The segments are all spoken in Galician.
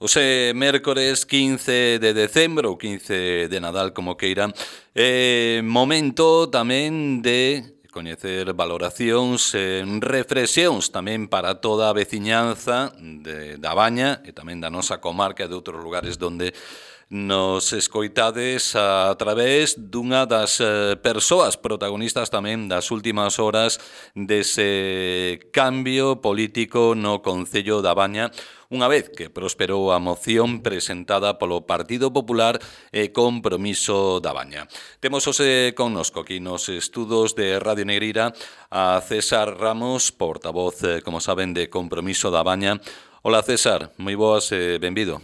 Ose mércores 15 de decembro ou 15 de Nadal, como queiran, momento tamén de coñecer valoracións, reflexións tamén para toda a veciñanza da Baña e tamén da nosa comarca e de outros lugares donde nos escoitades a través dunha das persoas protagonistas tamén das últimas horas dese cambio político no Concello da Baña, unha vez que prosperou a moción presentada polo Partido Popular e Compromiso da Baña. Temos hoxe connosco aquí nos estudos de Radio Negreira a César Ramos, portavoz, como saben, de Compromiso da Baña. Hola César, moi boas e benvido.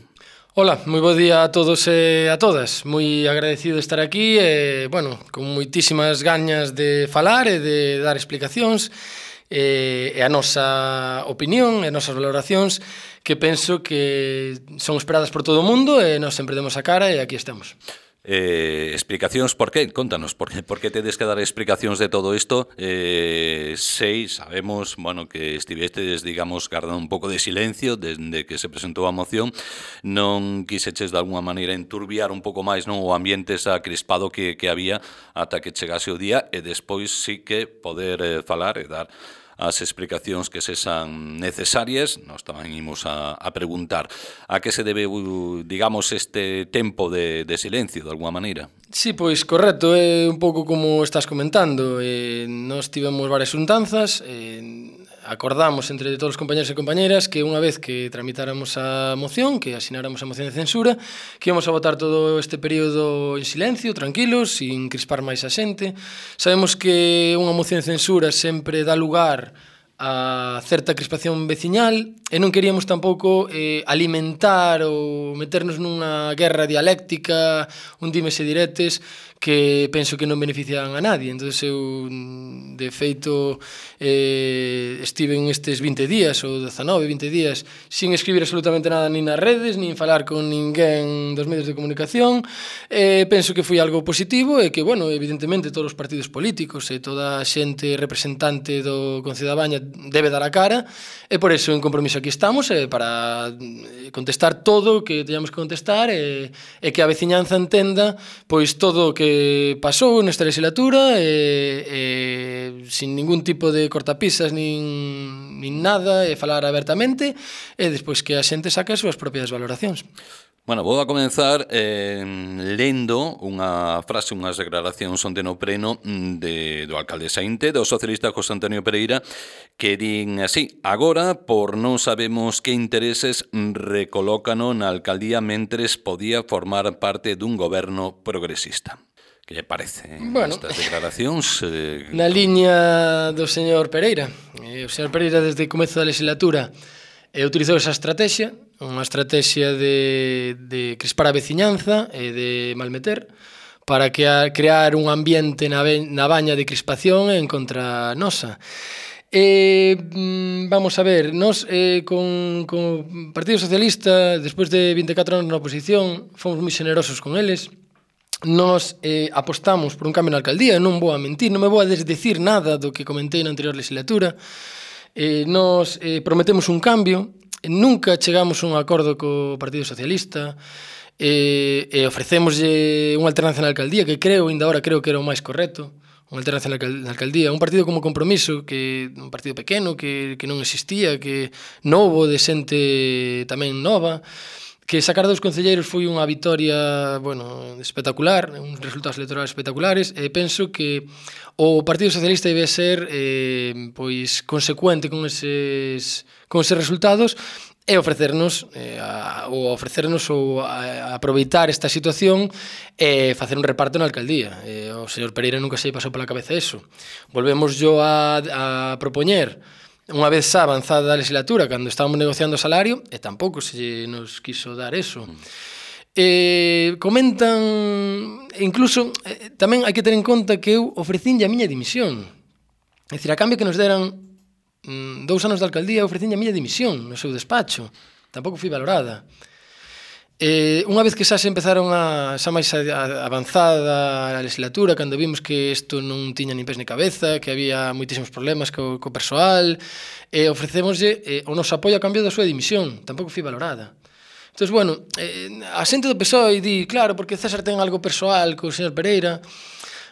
Hola, moi bo día a todos e a todas. Moi agradecido de estar aquí e, con moitísimas gañas de falar e de dar explicacións e a nosa opinión e as nosas valoracións que penso que son esperadas por todo o mundo e nós sempre demos a cara e aquí estamos. Explicacións por qué? Contanos, por que tedes que dar explicacións de todo isto? Sabemos, que estivestes, guardando un pouco de silencio desde que se presentou a moción. Non quiseches de alguna maneira enturbiar un pouco máis o ambiente esa crispado que había ata que chegase o día e despois sí que poder falar e dar as explicacións que sexan necesarias. Nós tamén imos a preguntar a que se debe, este tempo de silencio, de alguna maneira. Sí, pois correcto, é un pouco como estás comentando. Nós tivemos varias xuntanzas, acordamos entre todos os compañeros e compañeras que unha vez que tramitáramos a moción, que asináramos a moción de censura, que íbamos a votar todo este período en silencio, tranquilos, sin crispar máis a xente. Sabemos que unha moción de censura sempre dá lugar a certa crispación veciñal e non queríamos tampouco alimentar ou meternos nunha guerra dialéctica, un dimes e diretes que penso que non benefician a nadie. Entón, eu, de feito, estive estes 20 días ou 19, 20 días sin escribir absolutamente nada nin nas redes, nin falar con ninguén dos medios de comunicación. Penso que foi algo positivo e que, evidentemente, todos os partidos políticos e toda a xente representante do Concello da Baña debe dar a cara e por eso en Compromiso aquí estamos para contestar todo o que teñamos que contestar e que a veciñanza entenda pois todo o que pasou nesta legislatura sin ningún tipo de cortapisas nin nada e falar abertamente e despois que a xente saque as súas propias valoracións. Vou a comenzar lendo unha frase, unhas declaracións onde no pleno do alcalde Saínte, do socialista José Antonio Pereira, que din así: agora, por non sabemos que intereses recolócano na alcaldía mentres podía formar parte dun goberno progresista. Que lle parece estas declaracións? Na liña do señor Pereira. O señor Pereira, desde o comezo da legislatura, utilizou esa estrategia, unha estrategia de crispar a veciñanza e de malmeter, para crear un ambiente na Baña de crispación en contra nosa. Vamos a ver, nós con o Partido Socialista, despois de 24 anos na oposición, fomos moi generosos con eles. Nós apostamos por un cambio na alcaldía, non vou a mentir, non me vou a desdecir nada do que comentei na anterior legislatura. Nós prometemos un cambio, nunca chegamos a un acordo co Partido Socialista e ofrecémoslle unha alternancia na alcaldía que ainda ahora creo que era o máis correcto, unha alternancia na alcaldía, un partido como Compromiso, que un partido pequeno que non existía, que novo, de xente tamén nova, que sacar dos concelleiros foi unha vitoria, espectacular, uns resultados electorales espectaculares, e penso que o Partido Socialista debe ser consecuente con eses resultados e ofrecernos ou aproveitar esta situación e facer un reparto na alcaldía. O señor Pereira nunca se pasou pola cabeza eso. Volvemos a propoñer unha vez xa avanzada a legislatura, cando estábamos negociando o salario, e tampouco se nos quiso dar eso. Comentan, incluso, tamén hai que ter en conta que eu ofrecinlle a miña dimisión. É dicir, a cambio que nos deran 2 anos de alcaldía, ofrecinlle a miña dimisión no seu despacho. Tampouco fui valorada. Unha vez que xa se empezaron xa máis avanzada a legislatura, cando vimos que isto non tiña nin pés ni cabeza, que había moitísimos problemas co persoal, ofrecémoslle o noso apoio a cambio da súa dimisión. Tampouco fui valorada. Entón, bueno, a xente do PSOE di, claro, porque César ten algo persoal co señor Pereira.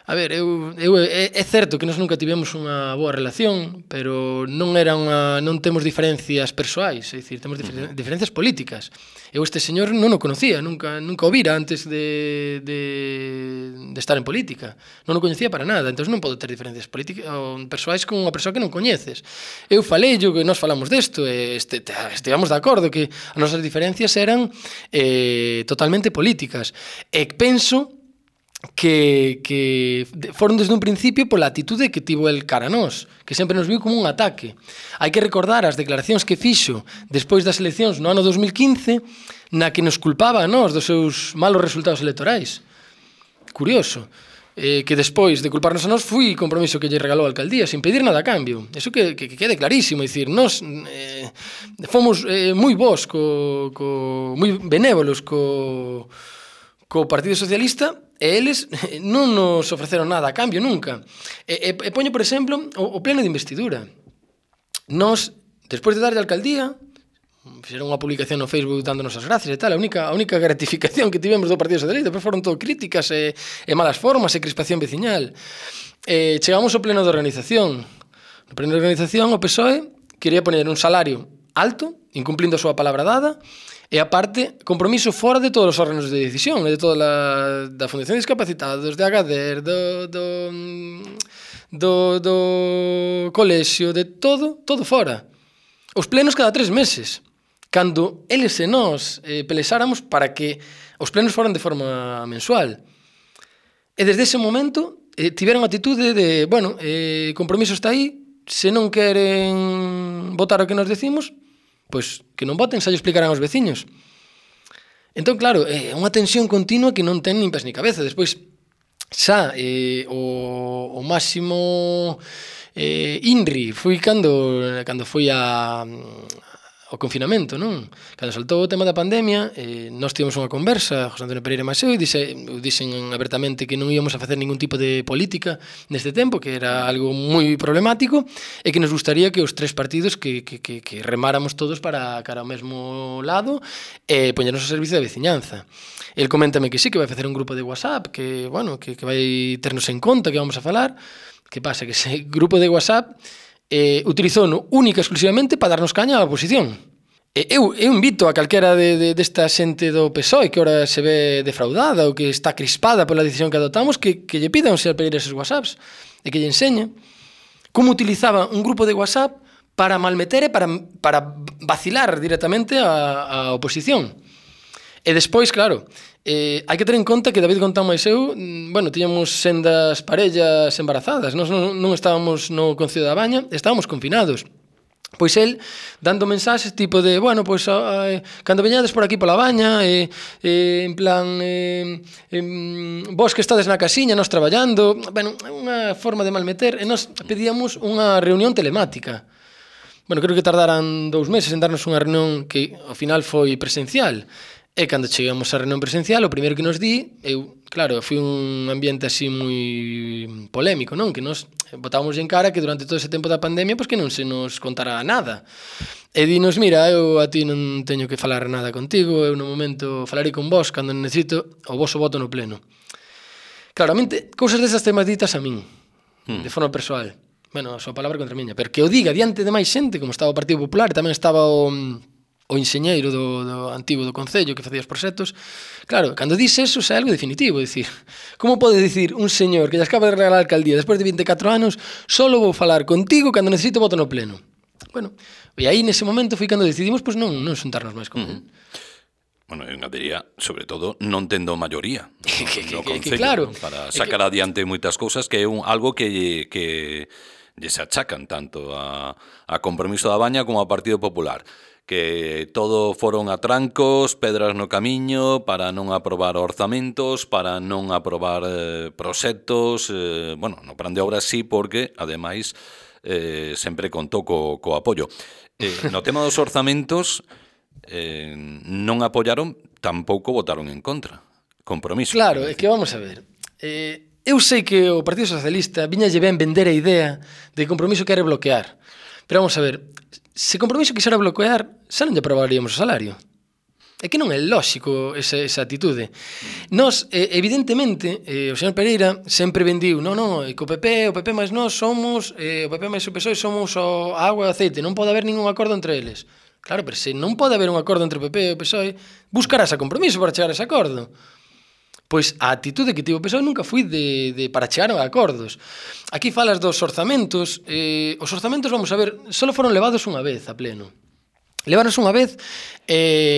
A ver, é certo que nós nunca tivemos unha boa relación, pero non temos diferencias persoais, é dicir, temos diferencias políticas. Eu este señor non o conocía, nunca o vira antes de estar en política. Non o coñecía para nada, entón non podo ter diferencias políticas ou persoais con unha persoa que non coñeces. Eu falei que nós falamos desto, estivemos de acordo que as nosas diferencias eran totalmente políticas. E penso que foron desde un principio pola atitude que tivo el cara a nós, que sempre nos viu como un ataque. Hai que recordar as declaracións que fixo despois das eleccións no ano 2015, na que nos culpaba a nós dos seus malos resultados electorais. Curioso. Que despois de culparnos a nós foi compromiso que lle regalou a alcaldía sin pedir nada a cambio. Eso que quede clarísimo, é dicir, nós fomos moi bons, moi benévolos co Partido Socialista, e eles non nos ofreceron nada a cambio nunca. E poño, por exemplo, o pleno de investidura. Nós, despois de darlle a alcaldía, fixeron unha publicación no Facebook dándonos as gracias e tal, a única gratificación que tivemos do Partido Socialista, depois foron todo críticas e malas formas e crispación veciñal. Chegamos ao pleno de organización. No pleno de organización, o PSOE quería poñer un salario alto, incumplindo a súa palabra dada, e aparte, compromiso fora de todos os órganos de decisión, de toda da Fundación de Discapacitados, de Agader, do colexio, de todo fora. Os plenos cada 3 meses. Cando eles e nós pelexáramos para que os plenos foran de forma mensual. E desde ese momento tiveron a atitude de, bueno, compromiso está aí, se non queren votar o que nos decimos, pois que non voten, xa lle explicarán aos veciños. Entón, claro, é unha tensión continua que non ten nin pés ni cabeza. Despois, xa, o máximo INRI foi cando foi ao confinamento, non? Cando saltou o tema da pandemia, nós tivemos unha conversa, José Antonio Pereira e eu, e dixen abertamente que non íamos a facer ningún tipo de política neste tempo, que era algo moi problemático, e que nos gustaría que os 3 partidos que remáramos todos para cara ao mesmo lado e poñernos ao servicio da veciñanza. El coméntame que sí, que vai facer un grupo de WhatsApp, que vai ternos en conta, que vamos a falar. Que pasa? Que ese grupo de WhatsApp utilizouno única e exclusivamente para darnos caña á oposición. Eu invito a calquera desta xente do PSOE que ora se ve defraudada ou que está crispada pola decisión que adoptamos que lle pida a un señor Pereira esos WhatsApps e que lle enseñe como utilizaba un grupo de WhatsApp para malmeter e para vacilar directamente a oposición. E despois, claro, hai que ter en conta que David Gontán máis eu, tiñamos sendas parellas embarazadas, nós non estábamos no Concello da Baña, estábamos confinados. Pois el, dando mensaxes tipo de, cando veñades por aquí pola Baña, en plan, vos que estades na casiña, nós traballando, unha forma de malmeter, e nós pedíamos unha reunión telemática. Creo que tardaran 2 meses en darnos unha reunión que ao final foi presencial. E cando chegamos á reunión presencial, o primeiro que nos di, foi un ambiente así moi polémico, non? Que nos botábamos en cara que durante todo ese tempo da pandemia, que non se nos contara nada. E dinos, mira, eu a ti non teño que falar nada contigo, eu no momento falarei con vos cando necesito o voso voto no pleno. Claramente, cousas desas temas ditas a min, de forma persoal. A súa palabra contra a miña, pero que o diga diante de máis xente, como estaba o Partido Popular, e tamén estaba o enxeñeiro do antigo do Concello que facía os proxectos. Claro, cando dis eso, é algo definitivo, dicir, como pode dicir un señor que lle acaba de regalar a alcaldía despois de 24 anos, solo vou falar contigo cando necesito voto no pleno? E aí nese momento foi cando decidimos non xuntarnos máis con él. Eu diría, sobre todo, non tendo maioría no Concello, claro, para sacar adiante moitas cousas, que é algo que lle se achacan tanto a Compromiso da Baña como ao Partido Popular, que todo foron atrancos, pedras no camiño para non aprobar orzamentos, para non aprobar proxectos, no plan de obras sí, porque, ademais, sempre contou co apoio. No tema dos orzamentos, non apoiaron, tampouco votaron en contra. Compromiso. Claro, é que vamos a ver. Eu sei que o Partido Socialista viñalle ben vender a idea de Compromiso quere bloquear. Pero vamos a ver, se Compromiso quixera bloquear, xa non lle aprobaríamos o salario. É que non é lóxico esa actitude. Nós, evidentemente, o señor Pereira sempre vendiu, non, que o PP máis nós somos, o PP máis o PSOE somos a agua e o aceite, non pode haber ningún acordo entre eles. Claro, pero se non pode haber un acordo entre o PP e o PSOE, buscarás a compromiso para chegar a ese acordo. Pois a actitude que tivo o PSOE nunca foi para chegar a acordos. Aquí falas dos orzamentos. Os orzamentos, vamos a ver, só foron levados unha vez a pleno. Leváronse unha vez,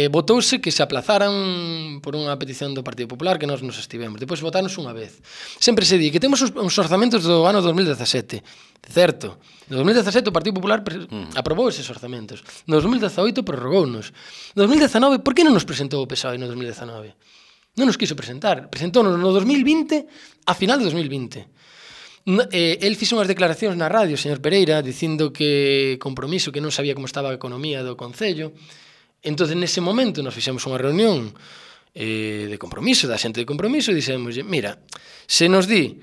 votouse que se aplazaran por unha petición do Partido Popular que nós nos estivemos. Depois votáronse unha vez. Sempre se di que temos uns orzamentos do ano 2017. Certo. No 2017 o Partido Popular aprobou eses orzamentos. No 2018 prorrogounos. No 2019, por que non nos presentou o PSOE no 2019? Non nos quiso presentar. Presentónos no 2020, a final de 2020. El fixo unhas declaracións na radio, señor Pereira, dicindo que compromiso, que non sabía como estaba a economía do Concello. Entón, nese momento, nos fixemos unha reunión de compromiso, da xente de compromiso, e dixemos, mira, se nos di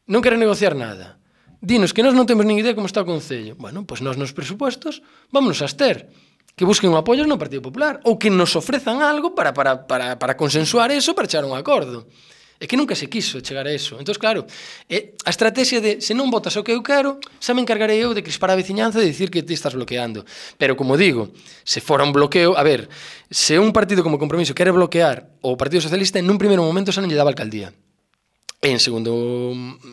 non quere negociar nada, dinos que nós non temos nin idea como está o Concello. Bueno, pois nós nos presupostos vámonos a abster. Que busquen un apoio no Partido Popular ou que nos ofrezan algo para consensuar eso, para chegar a un acordo. É que nunca se quiso chegar a eso. Entón, claro, a estrategia de se non votas o que eu quero, xa me encargarei eu de crispar a veciñanza e de dicir que ti estás bloqueando. Pero, como digo, se fora un bloqueo, a ver, se un partido como Compromiso quere bloquear o Partido Socialista, en un primeiro momento xa non lle daba alcaldía. E, en segundo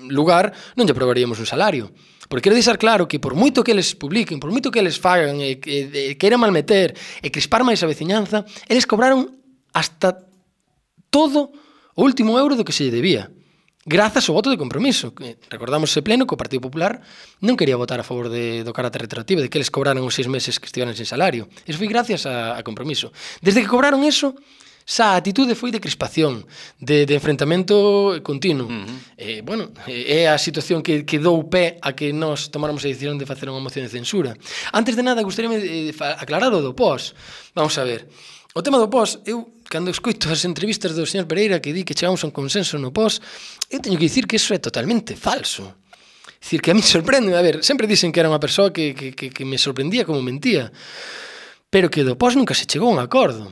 lugar, non lle aprobaríamos un salario. Porque quero deixar claro que por moito que eles publiquen, por moito que eles fagan e que queiran malmeter e crispar máis a veciñanza, eles cobraron hasta todo o último euro do que se lle debía. Grazas ao voto de Compromiso. Recordamos ese pleno que o Partido Popular non quería votar a favor do carácter retroactivo, de que eles cobraran os 6 meses que estiveran sin salario. Eso foi gracias a Compromiso. Desde que cobraron eso, xa a atitude foi de crispación, de enfrentamento continuo. É a situación que dou pé a que nós tomáramos a decisión de facer unha moción de censura. Antes de nada, gustaríame aclarar o do pós. Vamos a ver. O tema do pós, eu, cando escoito as entrevistas do señor Pereira que di que chegamos a un consenso no pós, eu teño que dicir que iso é totalmente falso. Dicir que a mí sorprende, a ver, sempre dicen que era unha persoa que me sorprendía como mentía, pero que do pós nunca se chegou a un acordo.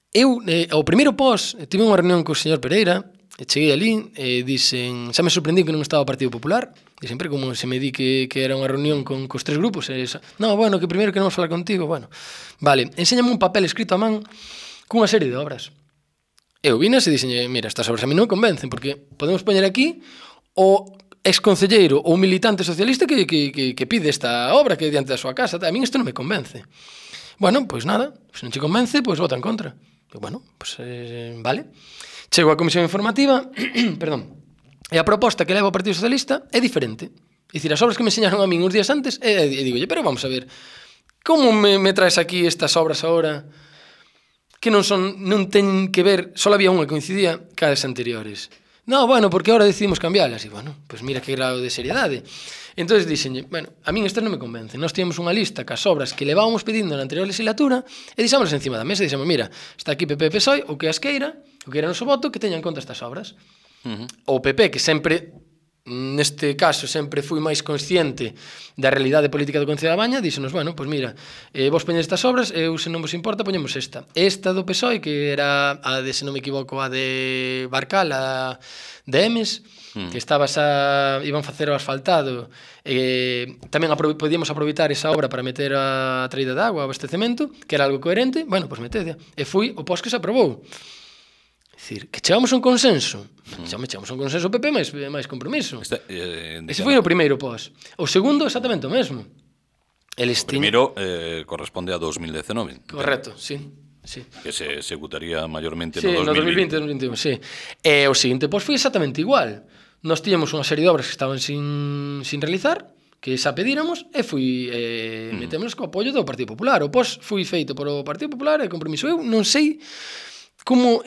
Eu, ao primeiro pós, tive unha reunión co señor Pereira, cheguei ali, dixen, xa me sorprendí que non estaba o Partido Popular, e sempre como se me di que era unha reunión cos 3 grupos, no, bueno, que primeiro queremos falar contigo, bueno, vale, enséñame un papel escrito a man cunha serie de obras. Eu vinas e dixen, mira, estas obras a mí non me convencen, porque podemos poñer aquí o exconcelleiro ou militante socialista que pide esta obra que é diante da súa casa, a mí isto non me convence. Bueno, pois nada, se non che convence, pois vota en contra. Bueno, pues vale. Chego á comisión informativa, perdón, e a proposta que leva o Partido Socialista é diferente. É dicir, as obras que me enseñaron a min uns días antes, e digo, pero vamos a ver, como me traes aquí estas obras agora que non ten que ver, só había unha que coincidía cas anteriores. No, bueno, porque agora decidimos cambiarlas. E bueno, pues mira que grado de seriedade. Entón dixenlle, bueno, a min estas non me convencen. Nós tínhamos unha lista cas obras que levábamos pedindo na anterior legislatura e deixámoslas encima da mesa e dixemos, mira, está aquí PP e PSOE, o que as queira, o que era noso voto, que teña en conta estas obras. O PP, que sempre, neste caso, sempre fui máis consciente da realidade política do Concello da Baña, díxenos, bueno, pois mira, vos poñedes estas obras, eu, se non vos importa, poñemos esta. Esta do PSOE, que era a de, se non me equivoco, a de Barcal, a de Emes, que iban facer o asfaltado, tamén podíamos aproveitar esa obra para meter a traída de agua, o abastecemento, que era algo coherente, bueno, pois metede. E foi o pós que se aprobou. É dicir, que chegamos a un consenso. Chegamos a un consenso PP máis Compromiso. Ese foi o primeiro pós. O segundo, exactamente o mesmo. O primeiro corresponde a 2019. Correcto, sí. Que se executaría mayormente no 2020. No 2021, sí. E o seguinte pós foi exactamente igual. Nós tiñamos unha serie de obras que estaban sin realizar, que xa pedíramos, e metémonos co apoio do Partido Popular. O pós foi feito por o Partido Popular e Compromiso. Eu non sei como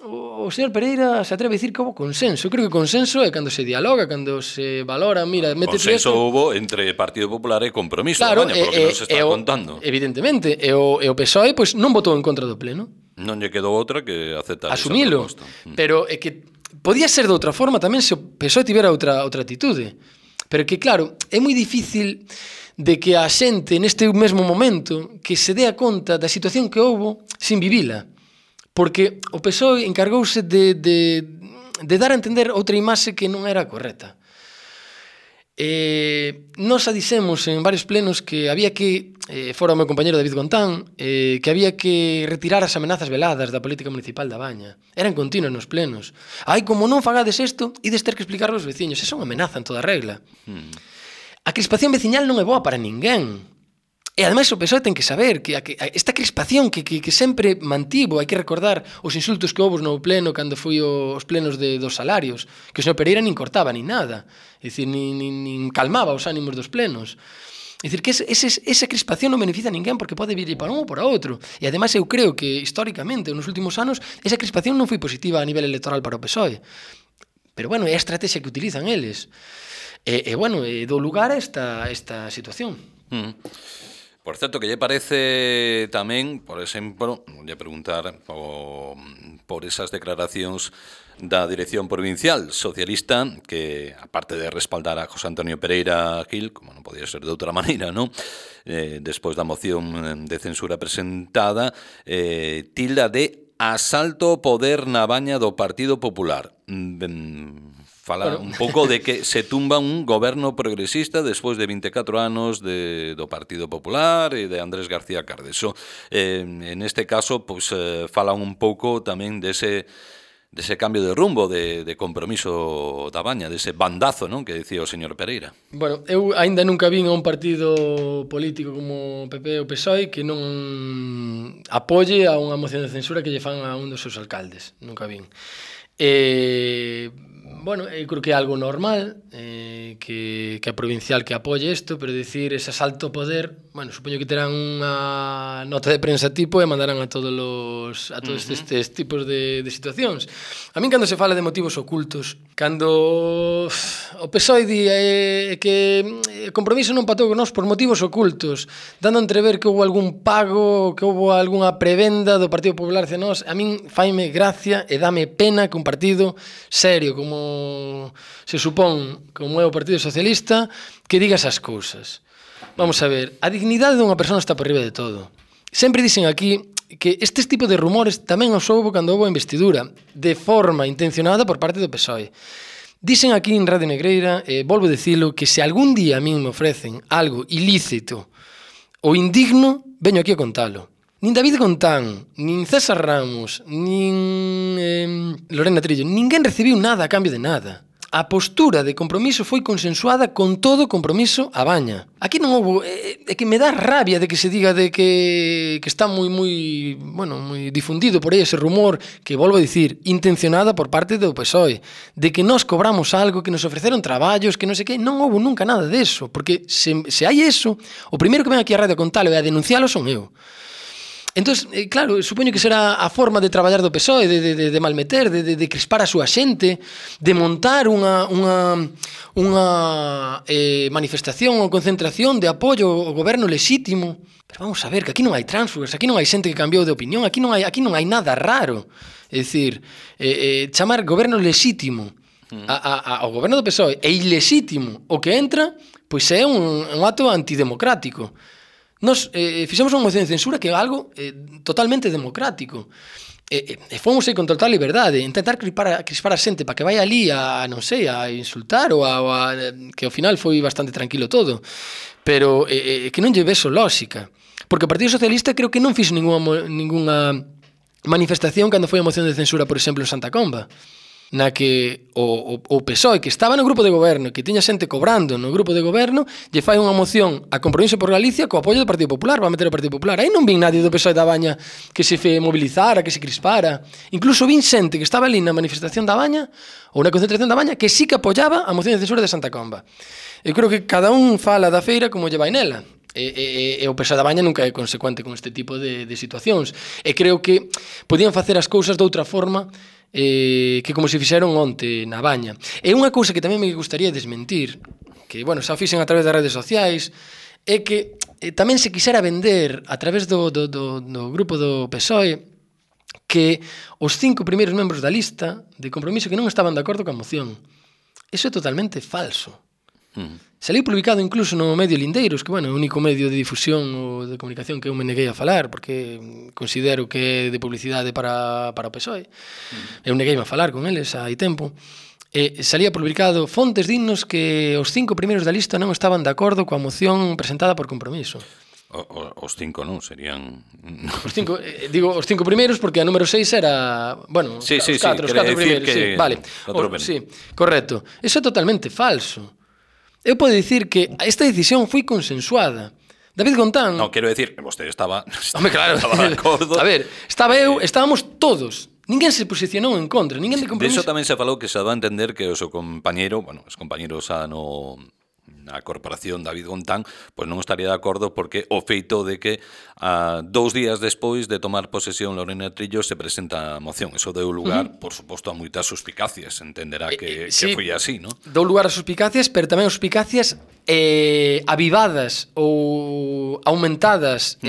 o señor Pereira se atreve a dicir que houve consenso. Eu creo que consenso é cando se dialoga, cando se valora, mira, consenso houve entre Partido Popular e Compromiso, claro, polo que nos está contando. Evidentemente, e o PSOE pois non votou en contra do pleno. Non lle quedou outra que aceptar asumilo, esa proposta. Pero é que podía ser de outra forma tamén se o PSOE tivera outra atitude. Pero que, claro, é moi difícil de que a xente neste mesmo momento que se dea conta da situación que houbo sin vivila. Porque o PSOE encargouse de dar a entender outra imaxe que non era correcta. Nos a dixemos en varios plenos que había que, fora o meu compañero David Gontán, que había que retirar as amenazas veladas da política municipal da Baña. Eran continuas nos plenos. Ai, como non fagades isto, ides ter que explicarlo aos veciños. Esa é unha amenaza en toda regla. A crispación veciñal non é boa para ninguén. E ademais o PSOE ten que saber que esta crispación que sempre mantivo, hai que recordar os insultos que houve no pleno cando foi os plenos dos salarios, que o señor Pereira nin cortaba nin nada, é dicir, nin calmaba os ánimos dos plenos. É dicir, que esa crispación non beneficia a ninguén porque pode vir para un ou para outro. E ademais eu creo que históricamente, nos últimos anos, esa crispación non foi positiva a nivel electoral para o PSOE. Pero bueno, é a estrategia que utilizan eles. Bueno, do lugar a esta situación. Por certo, que lle parece tamén, por exemplo, vou preguntar por esas declaracións da Dirección Provincial Socialista que, aparte de respaldar a José Antonio Pereira Gil, como non podía ser de outra maneira, non? Despois da moción de censura presentada, tilda de asalto ao poder na baña do Partido Popular. Fala un pouco de que se tumba un goberno progresista despois de 24 anos do Partido Popular e de Andrés García Cardeso. En este caso, pois, falan un pouco tamén dese cambio de rumbo, de compromiso da Baña, dese bandazo, non, que dicía o señor Pereira. Bueno, eu aínda nunca vin a un partido político como o PP ou PSOE que non apoie a unha moción de censura que lle fan a un dos seus alcaldes. Nunca vin. Bueno, eu creo que é algo normal que a provincial que apoie isto, pero dicir ese asalto ao poder, bueno, supoño que terán unha nota de prensa tipo e mandarán a todos estes tipos de situacións. A min cando se fala de motivos ocultos, cando o PSOE di que o compromiso non patou con nós por motivos ocultos, dando a entrever que houve algún pago, que houve algunha prebenda do Partido Popular hacia nós, a min faime gracia e dame pena que un partido serio como se supón, como é o Partido Socialista, que diga esas cousas. Vamos a ver, a dignidade dunha persona está por riba de todo. Sempre dicen aquí que estes tipos de rumores tamén os houve cando houve a investidura, de forma intencionada por parte do PSOE. Dicen aquí en Radio Negreira, volvo a dicilo, que se algún día a min me ofrecen algo ilícito ou indigno, veño aquí a contalo. Nin David Gontán, nin César Ramos, nin Lorena Trillo, ninguén recibiu nada a cambio de nada. A postura de compromiso foi consensuada con todo compromiso a Baña. Aquí non houve... É que me dá rabia de que se diga de que está moi difundido por aí ese rumor que, volvo a dicir, intencionada por parte do PSOE, de que nós cobramos algo, que nos ofreceron traballos, que non sei que, non houve nunca nada deso, porque se hai eso, o primeiro que ven aquí a radio a contalo e a denuncialo son eu. Entón, claro, supoño que será a forma de traballar do PSOE, de malmeter, de crispar a súa xente, de montar unha manifestación ou concentración de apoio ao goberno lexítimo. Pero vamos a ver, que aquí non hai tránsfugas, aquí non hai xente que cambiou de opinión, aquí non hai nada raro. É dicir, chamar goberno lexítimo ao goberno do PSOE e ilexítimo o que entra, pois é un acto antidemocrático. Nos fixemos unha moción de censura que é algo totalmente democrático. Fomos aí con total liberdade, intentar crispar a xente para que vai ali a, non sei, a insultar ou que ao final foi bastante tranquilo todo. Pero que non lle veso lógica. Porque o Partido Socialista creo que non fixo ninguna manifestación cando foi a moción de censura, por exemplo, en Santa Comba, na que o PSOE, que estaba no grupo de goberno, que tiña xente cobrando no grupo de goberno, lle fai unha moción a Compromiso por Galicia co apoio do Partido Popular, para meter o Partido Popular. Aí non vin nadie do PSOE da Baña que se mobilizara, que se crispara. Incluso vin xente que estaba ali na manifestación da Baña, ou na concentración da Baña, que sí que apoiaba a moción de censura de Santa Comba. Eu creo que cada un fala da feira como lle vai nela. E o PSOE da Baña nunca é consecuente con este tipo de situacións. E creo que podían facer as cousas de outra forma que como se fixeron onte na Baña. E unha cousa que tamén me gustaría desmentir, que, bueno, xa o fixen a través das redes sociais, é que tamén se quixera vender a través do grupo do PSOE que os 5 primeiros membros da lista de Compromiso que non estaban de acordo coa moción. Iso é totalmente falso. Saliu publicado incluso no medio Lindeiros, que, bueno, é o único medio de difusión ou de comunicación que eu me neguei a falar, porque considero que é de publicidade para o PSOE. Eu neguei a falar con eles hai tempo. Salía publicado fontes dignos que os 5 primeiros da lista non estaban de acordo coa moción presentada por Compromiso. Os 5 non, serían... Os 5, digo os 5 primeiros porque a número 6 era... Bueno, sí, os 4 primeiros, sí, vale. Sí, correcto. Eso é totalmente falso. Eu podo dicir que esta decisión foi consensuada. David Gontán... No, quero decir que vostede estaba Hombre, claro. de acordo. A ver, estábamos todos. Ninguén se posicionou en contra, ninguén de Compromiso. De iso tamén se falou que se dá a entender que o seu compañeiro, bueno, os compañeros na corporación David Gontán, pois non estaría de acordo porque o feito de que 2 días despois de tomar posesión Lorena Trillo se presenta a moción. Eso deu lugar, por suposto, a moitas suspicacias. Entenderá que sí, foi así, non? Dou lugar a suspicacias, pero tamén suspicacias avivadas ou aumentadas,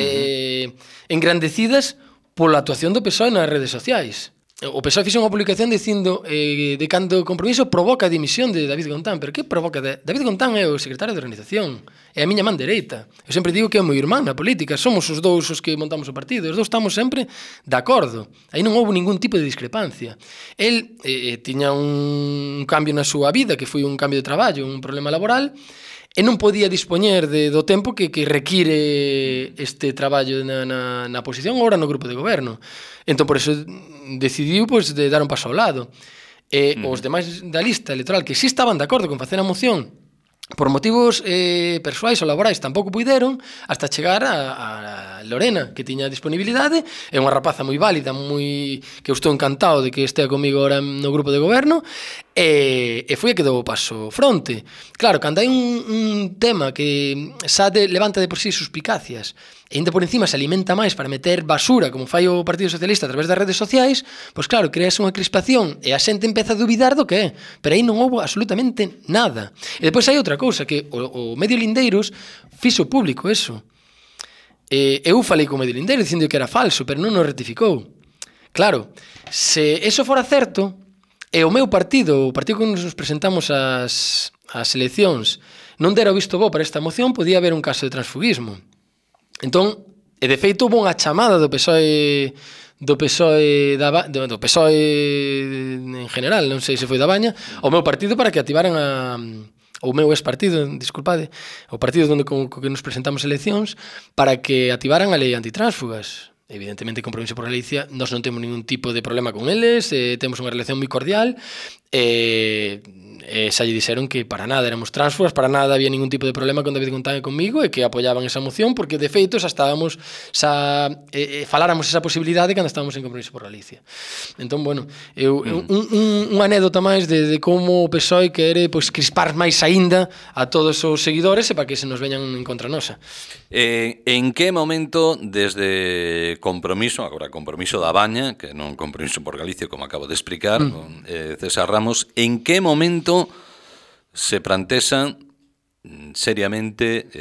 engrandecidas pola actuación do PSOE nas redes sociais. O PSOE fixo unha publicación dicindo de cando o Compromiso provoca a dimisión de David Gontán. Pero que provoca? David Gontán é o secretario de organización, é a miña man dereita. Eu sempre digo que é o meu irmán na política, somos os dous os que montamos o partido, os dous estamos sempre de acordo. Aí non houve ningún tipo de discrepancia. El tiña un cambio na súa vida, que foi un cambio de traballo, un problema laboral, e non podía dispoñer do tempo que require este traballo na posición agora no grupo de goberno. Entón, por eso decidiu de dar un paso ao lado. Os demais da lista electoral que sí estaban de acordo con facer a moción por motivos persoais ou laborais tampouco puideron hasta chegar a Lorena, que tiña disponibilidade, é unha rapaza moi válida, que eu estou encantado de que estea comigo ahora no grupo de goberno, e foi a que dou o paso fronte. Claro, cando hai un tema que xa levanta de por sí suspicacias e ainda por encima se alimenta máis para meter basura como fai o Partido Socialista a través das redes sociais, pois claro, creas unha crispación e a xente empeza a duvidar do que é, pero aí non houve absolutamente nada. E depois hai outra cousa, que o medio Lindeiros fixo público eso. Eu falei co medio Lindeiros dicindo que era falso, pero non o rectificou. Claro, se eso fora certo, e o meu partido, o partido que nos presentamos ás eleccións, non dera o visto bo para esta moción, podía haber un caso de transfugismo. Entón, e de feito houve unha chamada do PSOE en general, non sei se foi da Baña, ao meu partido para que activaran o meu ex-partido, disculpade, o partido onde que nos presentamos eleccións, para que activaran a lei antitránsfugas. Evidentemente, Compromiso por Galicia, nós non temos ningún tipo de problema con eles, temos unha relación moi cordial, xa lle dixeron que para nada éramos tránsfugas, para nada había ningún tipo de problema con David Gontán e comigo, e que apoiaban esa moción, porque de feito xa estábamos, faláramos esa posibilidade cando estábamos en Compromiso por Galicia. Entón, bueno, unha anécdota máis de como o PSOE quere crispar máis aínda a todos os seguidores e para que se nos veñan en contra nosa. En que momento, desde Compromiso, agora Compromiso da Baña, que non Compromiso por Galicia, como acabo de explicar, con César Ramos, en que momento se plantexan seriamente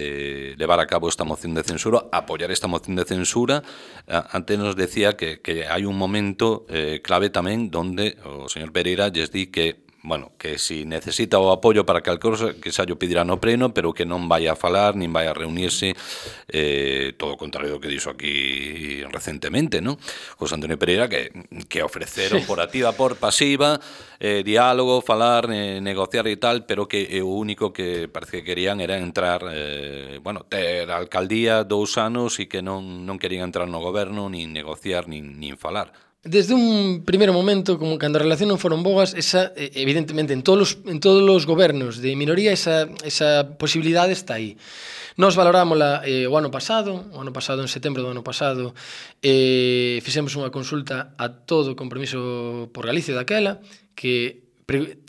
levar a cabo esta moción de censura, apoiar esta moción de censura? Antes nos decía que hai un momento clave tamén donde o señor Pereira lles di que que si necesita o apoio para calquera cosa, que xa o pedirá no pleno, pero que non vai a falar, nin vai a reunirse, todo o contrario do que dixo aquí recentemente, non? José Antonio Pereira, que ofreceron por activa, por pasiva, diálogo, falar, negociar e tal, pero que o único que parece que querían era entrar, ter a alcaldía 2 anos e que non querían entrar no goberno, nin negociar, nin falar. Desde un primeiro momento, como cando a relación non foron boas, evidentemente, en todos os gobernos de minoría, esa posibilidade está aí. Nos valorámola o ano pasado, en setembro do ano pasado, fixemos unha consulta a todo o Compromiso por Galicia daquela, que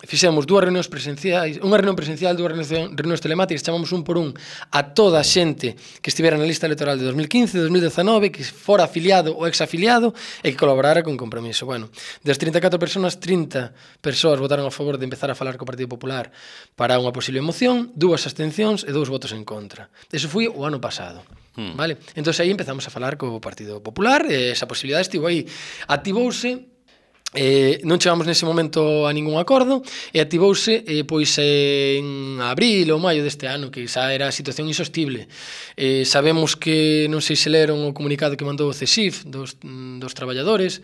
fixemos 2 reunións presenciais, unha reunión presencial, 2 reunións telemáticas, chamamos un por un a toda a xente que estivera na lista electoral de 2015, 2019, que fora afiliado ou exafiliado e que colaborara con Compromiso. Bueno, das 34 persoas, 30 persoas votaron a favor de empezar a falar co Partido Popular para unha posible moción, 2 abstencións e 2 votos en contra. Eso foi o ano pasado. Vale? Entón aí empezamos a falar co Partido Popular, esa posibilidade estivo aí. Activouse Non chegamos nese momento a ningún acordo e activouse pois en abril ou maio deste ano, que xa era a situación insostible. Sabemos que, non sei se leron o comunicado que mandou o CESIF dos traballadores,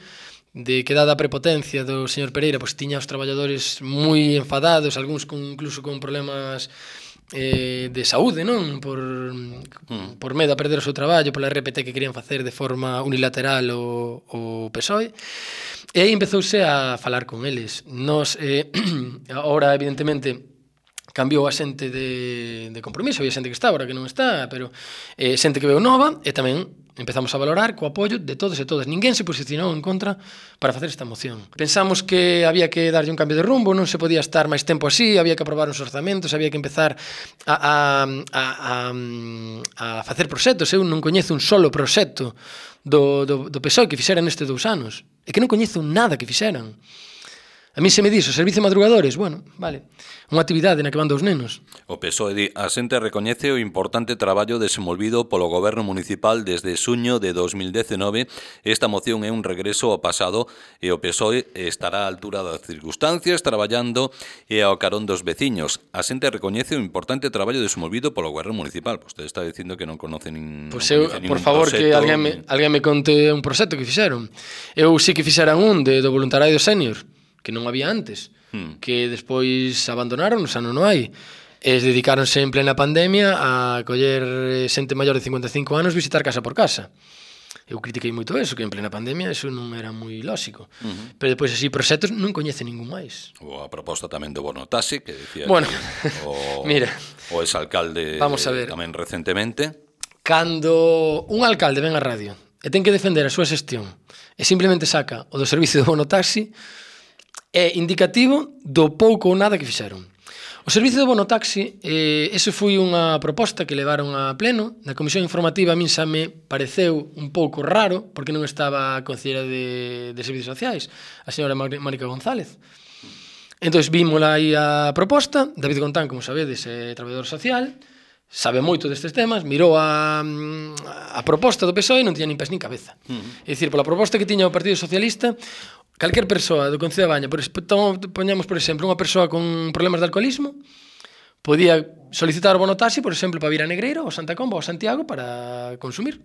de que dada a prepotencia do señor Pereira, pois tiña os traballadores moi enfadados, algúns incluso con problemas de saúde, non? Por medo a perder o seu traballo, pola RPT que querían facer de forma unilateral o PSOE. E aí empezouse a falar con eles. Nos, ahora, evidentemente, cambiou a xente de compromiso, había xente que está, agora que non está, pero xente que veu nova, e tamén empezamos a valorar co apoio de todos e todas. Ninguén se posicionou en contra para facer esta moción. Pensamos que había que darlle un cambio de rumbo, non se podía estar máis tempo así, había que aprobar uns orzamentos, había que empezar a facer proxectos. Eu non coñezo un solo proxecto do PSOE que fixeran nestes 2 anos. É que non coñezo nada que fixeran. A mí se me dixo, servicio de madrugadores, bueno, vale, unha actividade na que van 2 nenos. O PSOE di, a xente recoñece o importante traballo desenvolvido polo goberno municipal desde xuño de 2019. Esta moción é un regreso ao pasado e o PSOE estará á altura das circunstancias traballando e ao carón dos veciños. A xente recoñece o importante traballo desenvolvido polo goberno municipal. Vostede está dicindo que non conoce ningún proxecto. Por favor, que alguén me conte un proxecto que fixeron. Eu sí que fixeran un do voluntariado senior, que non había antes, que despois abandonaron, xa non hai. Dedicáronse en plena pandemia a coller xente maior de 55 anos visitar casa por casa. Eu critiquei moito eso, que en plena pandemia eso non era moi lóxico. Pero depois así proxectos non coñece ningún máis. Ou a proposta tamén do bono taxi, que decía bueno, mira, o exalcalde tamén recentemente. Cando un alcalde ven á radio e ten que defender a súa xestión e simplemente saca o do servicio do bono taxi, é indicativo do pouco ou nada que fixeron. O servicio do bono taxi, ese foi unha proposta que levaron a pleno. Na comisión informativa a min xa me pareceu un pouco raro, porque non estaba a conselleira de Servicios Sociais, a señora Mónica González. Entón, vímola aí a proposta. David Gontán, como sabedes, é traballador social, sabe moito destes temas, mirou a proposta do PSOE e non tiña nin pés nin cabeza. É dicir, pola proposta que tiña o Partido Socialista, calquer persoa do Concello da Baña, poñamos, por exemplo, unha persoa con problemas de alcoholismo, podía solicitar o bono taxi, por exemplo, para vir a Negreiro, ou Santa Comba, ou Santiago, para consumir.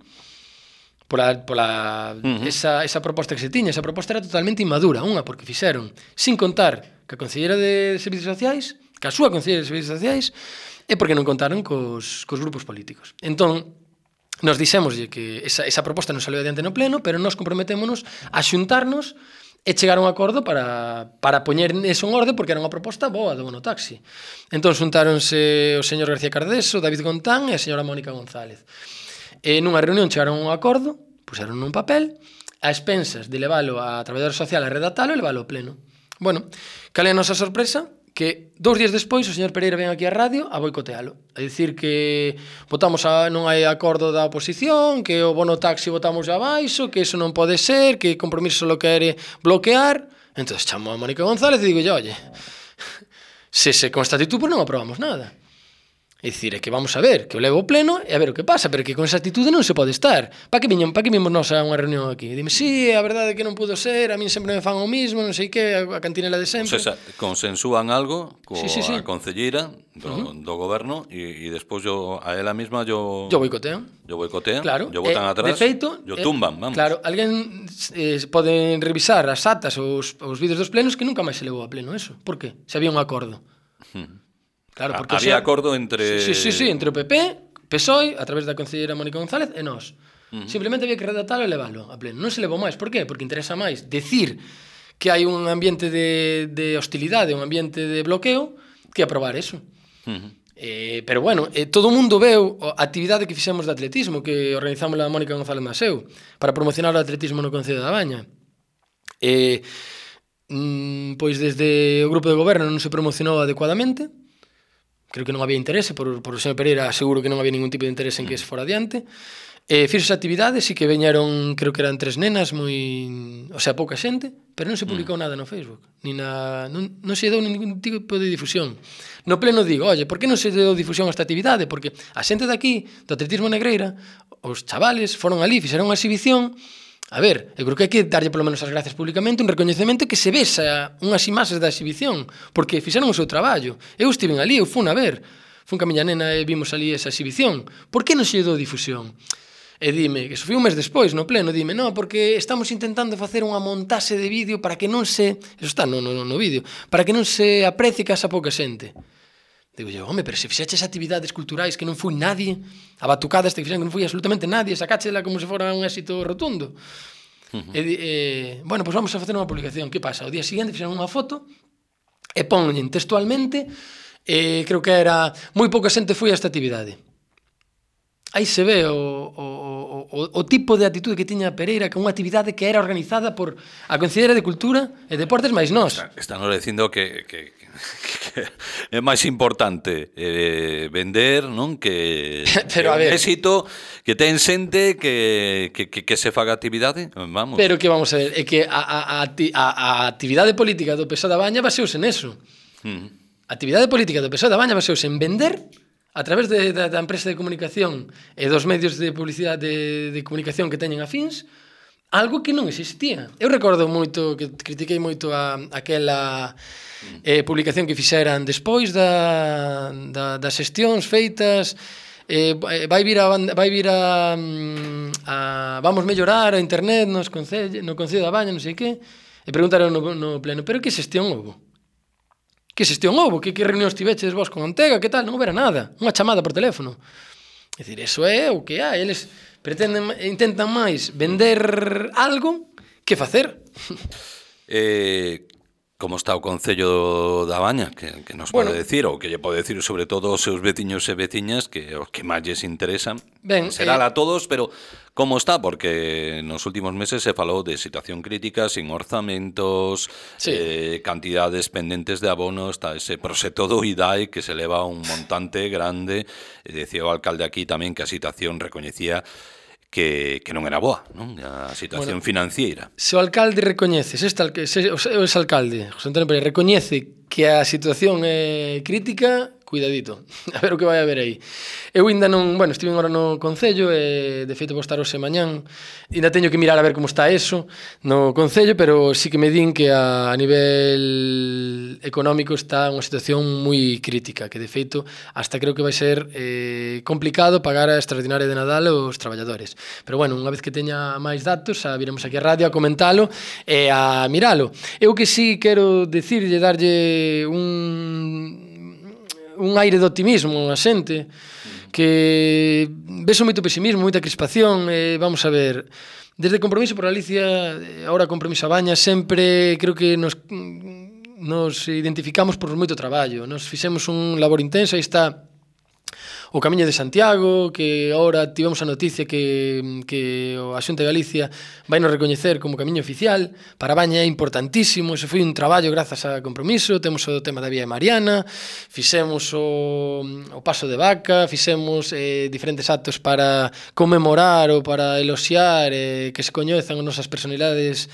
Esa proposta que se tiña, esa proposta era totalmente inmadura. Unha, porque fixeron, sin contar que a concelleira de Servicios Sociais, que a súa concelleira de Servicios Sociais, e porque non contaron cos grupos políticos. Entón, nos dixémoslle que esa proposta non saliu adiante no pleno, pero nos comprometémonos a xuntarnos e chegar a un acordo para poñer eso en orde, porque era unha proposta boa do bono taxi. Entón, xuntáronse o señor García Cardés, o David Gontán e a señora Mónica González. E nunha reunión chegaron a un acordo, puseron nun papel, a expensas de leválo a traballador social a redactalo e leválo ao pleno. Bueno, cal é a nosa sorpresa? Que 2 días despois o señor Pereira ven aquí á radio a boicotealo, a dicir que non hai acordo da oposición, que o bono taxi votamos abaixo, que iso non pode ser, que o compromiso lo quere bloquear. Entón chamo a Mónica González e digo, oye, se con esta actitud non aprobamos nada. É dicir, é que vamos a ver, que o levo ao pleno e a ver o que pasa, pero que con esa actitude non se pode estar. Para que vimos nós a unha reunión aquí? Dime, sí, a verdade é que non pudo ser, a min sempre me fan o mismo, non sei que, a cantinela de sempre. O sea, consensúan algo coa concelleira do goberno e despois a ela mesma yo boicotean. Yo boicotean, claro, yo botan atrás, de feito, yo tumban, vamos. Claro, alguén poden revisar as atas ou os vídeos dos plenos que nunca máis se levou a pleno eso. Por que? Se había un acordo. Claro, porque había acordo entre... Sí, entre o PP, PSOE, a través da concelleira Mónica González, e nós. Simplemente había que redactalo e leválo a pleno. Non se levou máis. Por qué? Porque interesa máis decir que hai un ambiente de hostilidade, un ambiente de bloqueo, que aprobar eso. Pero bueno, todo o mundo veu a actividade que fixemos de atletismo, que organizamos a Mónica González Maseu, para promocionar o atletismo no Concello da Baña. Pois desde o grupo de goberno non se promocionou adecuadamente. Creo que non había interese, por o señor Pereira seguro que non había ningún tipo de interese en que se fora adiante. Fixos actividades e que veñeron, creo que eran 3 nenas, pouca xente, pero non se publicou nada no Facebook, non se deu ningún tipo de difusión. No pleno digo, oye, por que non se deu difusión a esta actividade? Porque a xente de aquí, do atletismo Negreira, os chavales foron ali, fixeron unha exhibición, A ver, eu creo que hai que darlle polo menos as gracias públicamente, un recoñecemento que se vexa unhas imaxes da exhibición, porque fixeron o seu traballo. Eu estive ali, eu fun a ver, fun ca miña nena e vimos ali esa exhibición. Por que non se dou difusión? E dime, que eso foi un mes despois, no pleno, dime, no, porque estamos intentando facer unha montaxe de vídeo para que non se... Eso está no vídeo. Para que non se aprecie que asa pouca xente. Digo yo, home, pero se fixeches actividades culturais que non foi nadie, a batucada este que fixeron que non foi absolutamente nadie, sacáchela como se fora un éxito rotundo. Bueno, pois vamos a facer unha publicación. Que pasa? O día seguinte fixeron unha foto e ponlen textualmente, creo que era moi pouca xente foi a esta actividade. Aí se ve o tipo de actitude que tiña Pereira, que unha actividade que era organizada por a Consellería de Cultura e Deportes máis nós. Están dicindo que é máis importante vender, non? Que pero, é un éxito que ten xente que se faga actividade, vamos. Pero que vamos a ver, é que a actividade política do PSOE da Baña baseouse neso. A actividade política do PSOE da Baña baseouse en vender a través da empresa de comunicación e dos medios de publicidade de comunicación que teñen afíns, algo que non existía. Eu recordo moito, que critiquei moito aquela publicación que fixeran despois das xestións feitas, vai vir a vamos mellorar a internet no Concello da Baña, non sei que, e preguntaron no pleno, pero que xestión houbo? Que xestión houbo? Que reunións tiveches vos con Antega? Que tal? Non houbera nada. Unha chamada por teléfono. É dicir, eso é o que hai. Eles intentan máis vender algo que facer. Como está o Concello da Baña? Que nos pode decir, ou que lle pode decir sobre todo aos seus veciños e veciñas, que os que máis lles interesan. Será a todos, pero como está? Porque nos últimos meses se falou de situación crítica, sin orzamentos, cantidades pendentes de abonos, está ese proxecto do IDAI que se leva un montante grande. Decía o alcalde aquí tamén que a situación recoñecía que non era boa, non? A situación financiera. Se o alcalde recoñece, se o exalcalde, José Antonio Pérez, recoñece que a situación é crítica, cuidadito, a ver o que vai haber aí. Eu ainda non, estive agora no Concello e de feito vou estar hoxe mañán, ainda teño que mirar a ver como está eso no Concello, pero sí que me din que a nivel económico está unha situación moi crítica, que de feito hasta creo que vai ser complicado pagar a extraordinaria de Nadal aos traballadores. Pero bueno, unha vez que teña máis datos, viremos aquí a radio a comentalo e a miralo. Eu que sí quero decirlle, darlle un aire de optimismo a xente, que veso moito pesimismo, moita crispación. Vamos a ver, desde Compromiso por Galicia, ahora Compromiso a Baña, sempre creo que nos identificamos por moito traballo, nos fixemos un labor intenso. Aí está o Camiño de Santiago, que agora tivemos a noticia que a Xunta de Galicia vai nos recoñecer como camiño oficial. Para Baña é importantísimo, ese foi un traballo grazas a Compromiso. Temos o tema da Vía Mariana, fixemos o Paso de Vaca, fixemos diferentes actos para conmemorar ou para eloxiar que se coñezan as nosas personalidades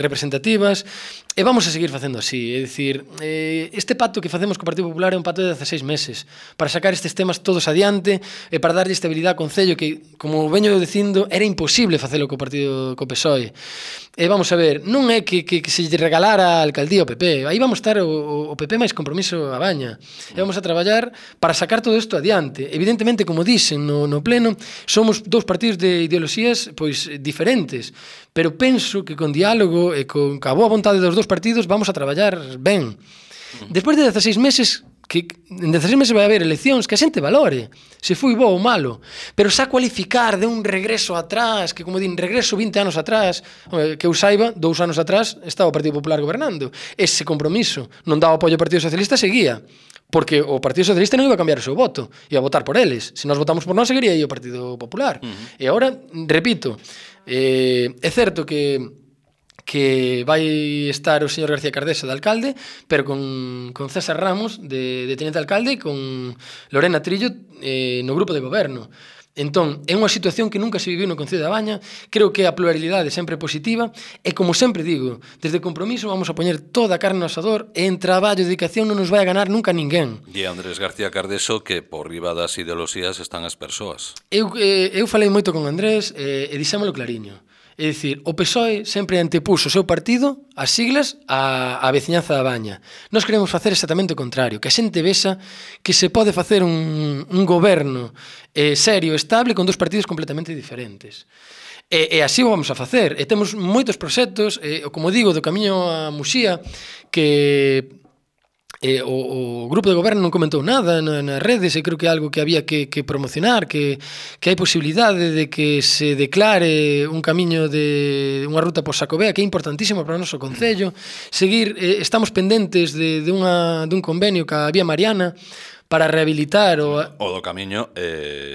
representativas. E vamos a seguir facendo así, é dicir, este pacto que facemos co Partido Popular é un pacto de 16 meses para sacar estes temas todos adiante e para darlle estabilidade ao Concello, que, como veño dicindo, era imposible facelo co PSOE. E vamos a ver, non é que se lle regalara a alcaldía ao PP, aí vamos estar o PP máis Compromiso a Baña, e vamos a traballar para sacar todo isto adiante. Evidentemente, como dixen no pleno, somos dous partidos de ideoloxías pois diferentes, pero penso que con diálogo e con a boa vontade dos dous partidos vamos a traballar ben. Despois de 16 meses, que en 16 meses vai haber eleccións, que a xente valore se foi bo ou malo, pero xa cualificar de un regreso atrás, que como din, regreso 20 anos atrás, que eu saiba, 2 anos atrás estaba o Partido Popular gobernando. Ese Compromiso non daba apoio ao Partido Socialista, seguía, porque o Partido Socialista non iba a cambiar o seu voto, iba a votar por eles. Se nós votamos por nós, seguiría aí o Partido Popular. E agora, repito, é certo que vai estar o señor García Cardeso de alcalde, pero con César Ramos de tenente alcalde e con Lorena Trillo no grupo de goberno. Entón, é unha situación que nunca se viviu no Concello da Baña. Creo que a pluralidade sempre é positiva e, como sempre digo, desde Compromiso vamos a poñer toda a carne no asador e en traballo e dedicación non nos vai a ganar nunca ninguén. E Andrés García Cardeso que por riba das ideoloxías están as persoas. Eu falei moito con Andrés e dixémolo clariño. É dicir, o PSOE sempre antepuso o seu partido, as siglas, a veciñanza da Baña. Nós queremos facer exactamente o contrario, que a xente vexa que se pode facer un goberno serio, estable, con dos partidos completamente diferentes. E así o vamos a facer. E temos moitos proxectos, como digo, do Camiño a Muxía, que o grupo de goberno non comentou nada nas redes, e creo que é algo que había que promocionar, que hai posibilidade de que se declare un camiño de unha ruta por Xacobea, que é importantísimo para o noso concello. Seguir, estamos pendentes dun convenio ca Vía Mariana para rehabilitar o do camiño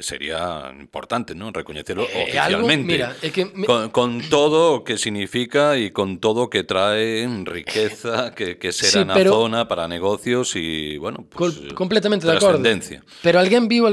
sería importante, non? Recoñecelo oficialmente. Algo, mira, con todo o que significa e con todo o que trae riqueza que será na zona para negocios e, bueno, pues, completamente de acordo. Pero alguén viu...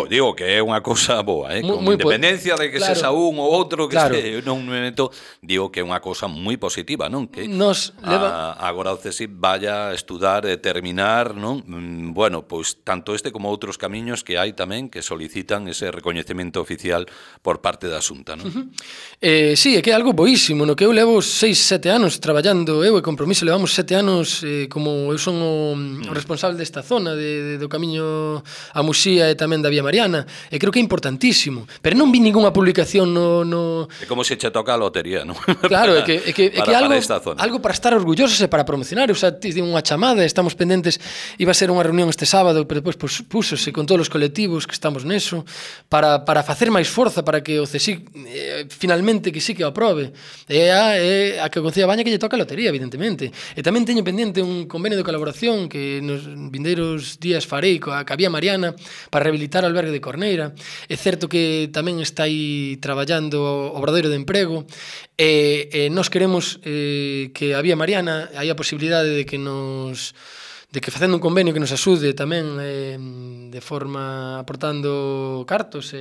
Digo que é unha cousa boa, con independencia de que sexa un ou outro, que non me meto, digo que é unha cousa moi positiva, non? Que agora o CSIC vaya a estudar e terminar, non? Bueno, pois tanto este como outros camiños que hai tamén que solicitan ese recoñecemento oficial por parte da Xunta, non? Sí, é que é algo boísimo, no que eu levo 6-7 anos traballando, eu e Compromiso levamos 7 anos como eu son o responsable desta zona do camiño a Muxía e tamén da Vía Mariana, e creo que é importantísimo, pero non vi ningunha publicación no... É como se che toca a lotería, non? Claro, é que algo para estar orgullosos e para promocionar. Eu xa tive unha chamada, estamos pendentes, iba a ser unha reunión este sábado, pero depois púsose con todos os colectivos que estamos neso para facer máis forza para que o CSIC finalmente que sí que o aprobe. É a que o Concello da Baña que lle toca a lotería, evidentemente. E tamén teño pendente un convenio de colaboración que nos vindeiros días farei coa Vía Mariana para rehabilitar o albergue de Corneira. É certo que tamén está aí traballando o Obradoiro de Emprego, e nós queremos que a Vía Mariana hai a posibilidade de que facendo un convenio que nos axude tamén de forma aportando cartos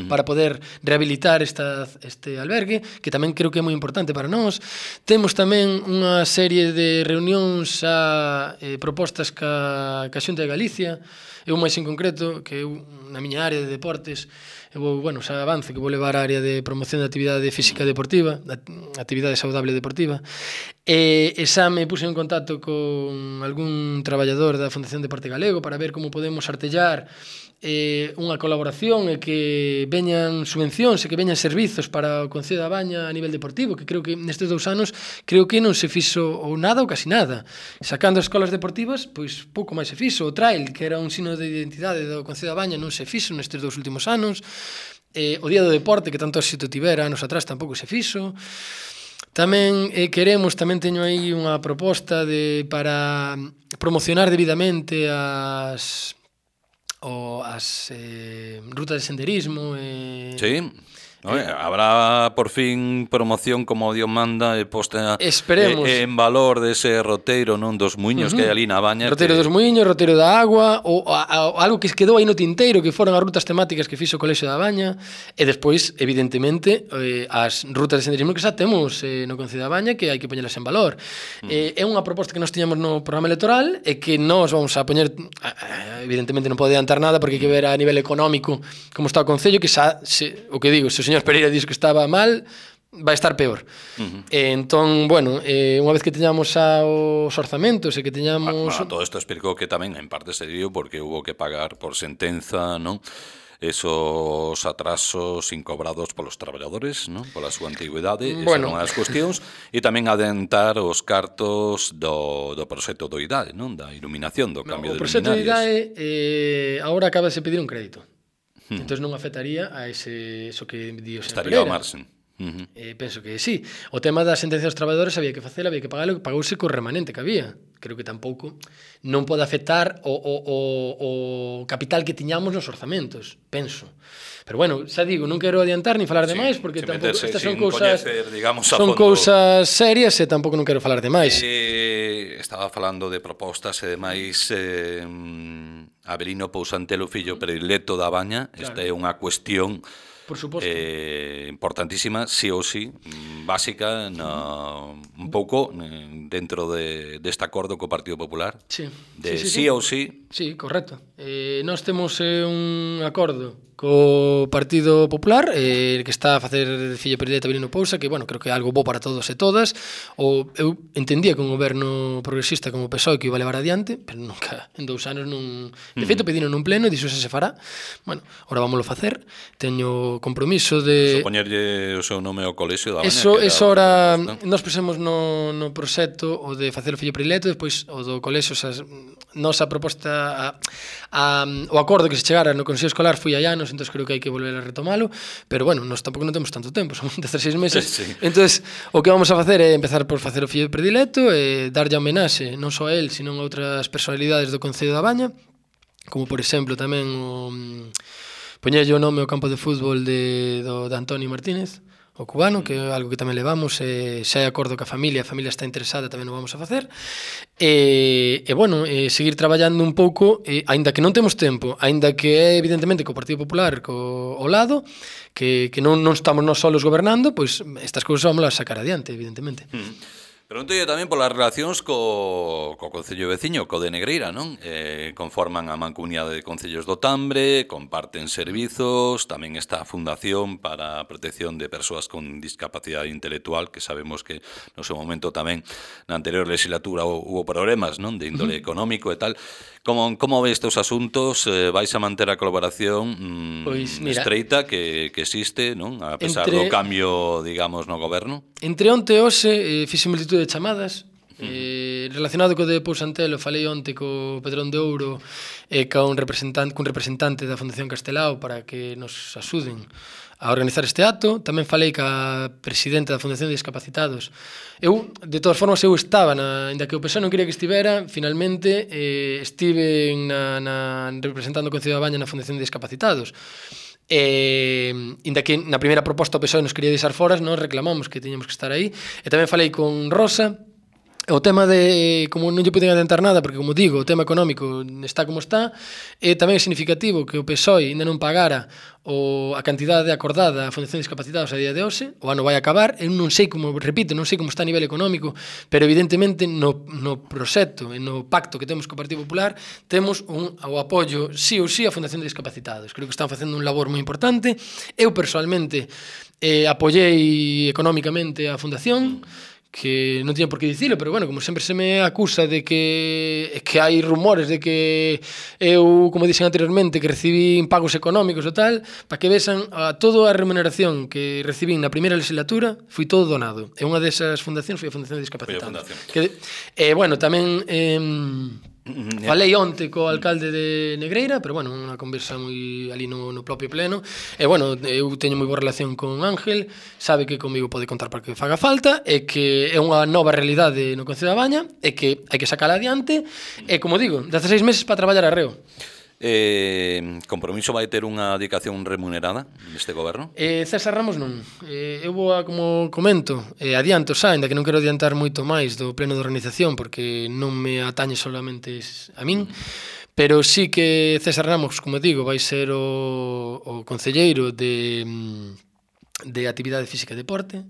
para poder rehabilitar este albergue, que tamén creo que é moi importante para nós. Temos tamén unha serie de reunións propostas ca Xunta de Galicia, eu máis en concreto, que eu na miña área de deportes, xa avance que vou levar a área de promoción da actividade física deportiva, da actividade saudable deportiva, e xa me puse en contacto con algún traballador da Fundación Deporte Galego para ver como podemos artellar unha colaboración e que veñan subvencións e que veñan servizos para o Concello da Baña a nivel deportivo, que creo que nestes 2 anos creo que non se fixo ou nada ou casi nada. Sacando as escolas deportivas, pois pouco máis se fixo. O trail, que era un signo de identidade do Concello da Baña, non se fixo nestes 2 últimos anos. O Día do Deporte, que tanto éxito tivera anos atrás, tampouco se fixo. Tamén tamén teño aí unha proposta para promocionar debidamente as rutas de senderismo. Sí. Habrá por fin promoción como Dios manda e posta en valor dese roteiro, non, dos muiños que hai ali na Baña. Roteiro dos muiños, roteiro da agua, ou algo que quedou aí no tinteiro, que foron as rutas temáticas que fixo o Colexio da Baña, e despois, evidentemente, as rutas de senderismo que xa temos no Concello da Baña, que hai que poñelas en valor. É unha proposta que nós tiñamos no programa electoral e que nós vamos a poñer, evidentemente non pode adiantar nada porque hai que ver a nivel económico como está o Concello, que xa, o que digo, se o señor Pereira dixo que estaba mal, vai estar peor. Entón, bueno, unha vez que teñamos os orzamentos e que teñamos... Todo isto explicou que tamén en parte se dio porque hubo que pagar por sentenza, non? Esos atrasos incobrados polos traballadores, non? Pola súa antigüidade, esas son as cuestións, e tamén adentar os cartos do proxecto do IDAE, non? Da iluminación, do cambio de luminarias. O proxecto do IDAE agora acaba de se pedir un crédito. Entón non afectaría a eso que di o señor Pereira. Estaría ao marxen. Penso que sí. O tema da sentencia dos traballadores había que facela, había que pagalo, pagouse co remanente que había. Creo que tampouco non pode afectar o capital que tiñamos nos orzamentos, penso. Pero bueno, xa digo, non quero adiantar ni falar de máis, porque tampouco estas son cousas serias e tampouco non quero falar de máis. Estaba falando de propostas e demais. Avelino Pousantelo, fillo predilecto da Baña, esta é unha cuestión importantísima, sí ou sí, básica, un pouco dentro deste acordo co Partido Popular. Sí. Sí ou sí. Sí, correcto. Nós temos un acordo co Partido Popular, que está a facer filla predileta Virino Pousa, que, bueno, creo que é algo bo para todos e todas. Eu entendía que un goberno progresista como o PSOE que iba a levar adiante, pero nunca, en 2 anos non... De feito, pedino nun pleno e dixo se fará. Bueno, ahora vámoslo facer. Teño compromiso de... Poñerlle o seu nome ao colexio da Baña. Eso ahora nós pusemos no proxecto o de facer o fillo predileto, despois o do colexio, nosa proposta o acordo que se chegara no Consello Escolar foi hai anos, entón creo que hai que volver a retomalo, pero bueno, nós tampouco non temos tanto tempo, son 16 meses. Sí. Entón, o que vamos a facer é empezar por facer o fillo predileto e darlle a homenaxe non só a él, sino a outras personalidades do Concello da Baña, como por exemplo tamén poñerlle o nome ao campo de fútbol de Antonio Martínez, o cubano, que é algo que tamén levamos, xa é acordo que a familia está interesada, tamén o vamos a facer, bueno, seguir traballando un pouco, aínda que non temos tempo, aínda que é evidentemente co Partido Popular ao lado, que non estamos nós solos gobernando, pois estas cousas vamos a sacar adiante, evidentemente. Pregúntolle tamén polas relacións co Concello veciño, co de Negreira, non? Conforman a Mancomunidade de Concellos do Tambre, comparten servizos, tamén está a Fundación para a Protección de Persoas con Discapacidade Intelectual, que sabemos que no seu momento tamén na anterior legislatura hubo problemas, non? De índole económico e tal. Como ve estes asuntos? Vais a manter a colaboración Pois, mira, estreita que existe, non? A pesar do cambio, digamos, no goberno? Entre onte e hoxe fixe multitud de chamadas relacionado co de Pousantelo. Falei onte co Pedrón de Ouro e cun representante da Fundación Castelao para que nos axuden a organizar este acto. Tamén falei ca presidenta da Fundación de Discapacitados. Eu, de todas formas, estaba, ainda que o PSOE non quería que estivera, finalmente estive representando o Concello da Baña na Fundación de Discapacitados. Inda que na primeira proposta o PSOE nos quería deixar foras, nós reclamamos que tiñamos que estar aí. E tamén falei con Rosa. O tema de, como non lle poden adiantar nada, porque, como digo, o tema económico está como está, tamén é significativo que o PSOE ainda non pagara a cantidade acordada a Fundación de Discapacitados a día de hoxe. O ano vai acabar, eu non sei como, repito, non sei como está a nivel económico, pero evidentemente no proxecto e no pacto que temos co Partido Popular temos o apoio sí ou sí a Fundación de Discapacitados. Creo que están facendo un labor moi importante. Eu, personalmente, apoiei económicamente a Fundación, que non tiña por que dicilo, pero bueno, como sempre se me acusa de que hai rumores de que eu, como dixen anteriormente, que recibín pagos económicos ou tal, para que vexan toda a remuneración que recibín na primeira legislatura foi todo donado. E unha desas fundacións foi a Fundación de Discapacitados. Bueno, tamén falei onte co alcalde de Negreira, pero bueno, unha conversa moi ali no propio pleno. E bueno, eu teño moi boa relación con Ángel, sabe que comigo pode contar para que faga falta, e que é unha nova realidade no Concello da Baña, e que hai que sacala adiante, e como digo, 16 meses para traballar arreo. Compromiso vai ter unha dedicación remunerada neste goberno? César Ramos non. Eu vou como comento, adianto xa, ainda que non quero adiantar moito máis do pleno de organización, porque non me atañe solamente a min, pero sí que César Ramos, como digo, vai ser o concelleiro de Actividade Física e Deporte.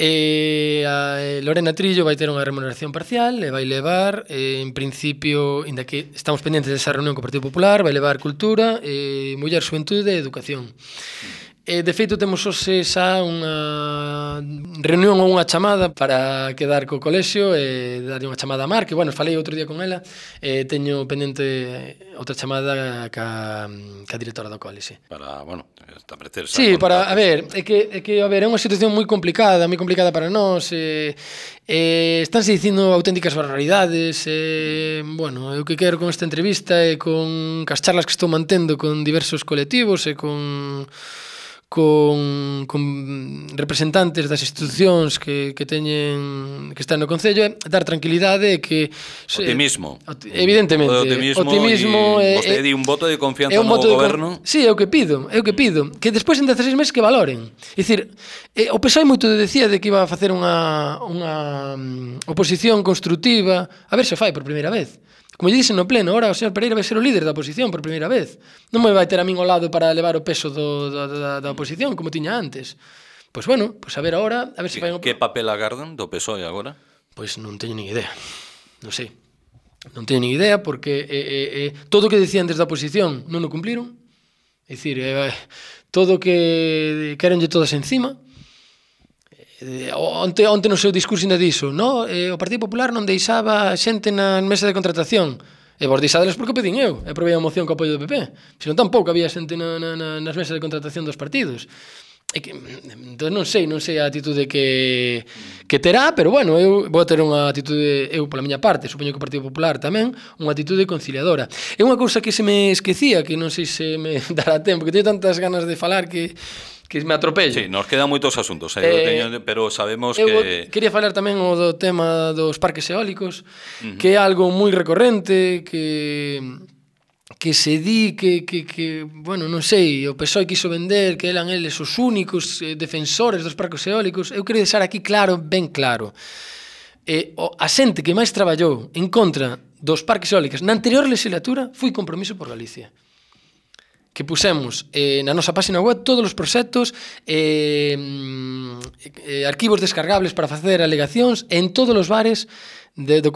Lorena Trillo vai ter unha remuneración parcial e vai levar, en principio, inda que estamos pendentes desa reunión co Partido Popular, vai levar Cultura, Muller, Xuventude e Educación. De feito, temos hoxe xa unha reunión ou unha chamada para quedar co colexio e darlle unha chamada a Mar, que, bueno, falei outro día con ela, teño pendente outra chamada ca directora do colexio. Para, bueno, establecer... Sí, para, a ver, é unha situación moi complicada para nós, estánse dicindo auténticas barbaridades, bueno, eu que quero con esta entrevista e con as charlas que estou mantendo con diversos colectivos e con representantes das institucións que están no Concello, dar tranquilidade e que... Optimismo. Evidentemente. Optimismo e vostede di un voto de confianza no goberno. Sí, é o que pido. Que despois en 16 meses que valoren. É dicir, o PSOE moito decía de que iba a facer unha oposición constructiva, a ver se fai por primeira vez. Como lle dixen no pleno, ahora o señor Pereira vai ser o líder da oposición por primeira vez. Non me vai ter a min ao lado para levar o peso da oposición, como tiña antes. Pois bueno, pois a ver ahora, a ver se fai... Que papel agardan do PSOE agora? Pois non teño nin idea. Non sei. Non teño nin idea porque todo o que decían desde a oposición non o cumpliron. É dicir, todo que querenlle todas encima. Onte no seu discurso ainda diso, no? O Partido Popular non deixaba xente na mesa de contratación. E vos deixadeles porque o pedín eu. E aprobei a moción co apoio do PP. Senón tampouco había xente nas mesas de contratación dos partidos. Entón non sei a atitude que terá, pero bueno, eu vou ter unha atitude, eu pola miña parte, supoño que o Partido Popular tamén, unha atitude conciliadora. É unha cousa que se me esquecía, que non sei se me dará tempo, que teño tantas ganas de falar que me atropello. Sí, nos quedan moitos asuntos, pero sabemos eu que... quería falar tamén o do tema dos parques eólicos, que é algo moi recorrente, que se di que bueno, non sei, o PSOE quiso vender que eran eles os únicos defensores dos parques eólicos. Eu quero deixar aquí claro, ben claro, a xente que máis traballou en contra dos parques eólicos na anterior legislatura foi Compromiso por Galicia, que pusemos na nosa página web todos os proxectos, arquivos descargables para facer alegacións en todos os bares,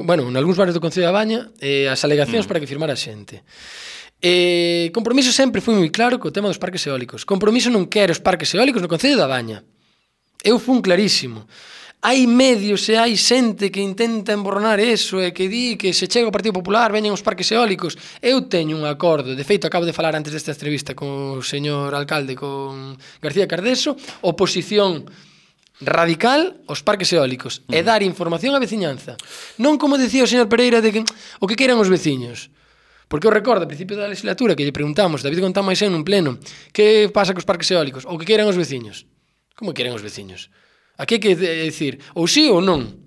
bueno, en algúns bares do Concello da Baña, as alegacións para que firmara a xente. Compromiso sempre foi moi claro co tema dos parques eólicos. Compromiso non quere os parques eólicos no Concello da Baña. Eu fun clarísimo. Hai medios e hai xente que intenta emborronar eso e que di que se chega ao Partido Popular veñen os parques eólicos. Eu teño un acordo, de feito acabo de falar antes desta entrevista con o señor alcalde, con García Cardeso, oposición radical aos parques eólicos e dar información á veciñanza. Non como decía o señor Pereira de que o que queiran os veciños. Porque eu recordo, a principio da legislatura, que lle preguntamos, David Gontán Maisén nun pleno, que pasa cos parques eólicos? O que queiran os veciños. Como queiran os veciños? Aquí hai que decir ou sí ou non.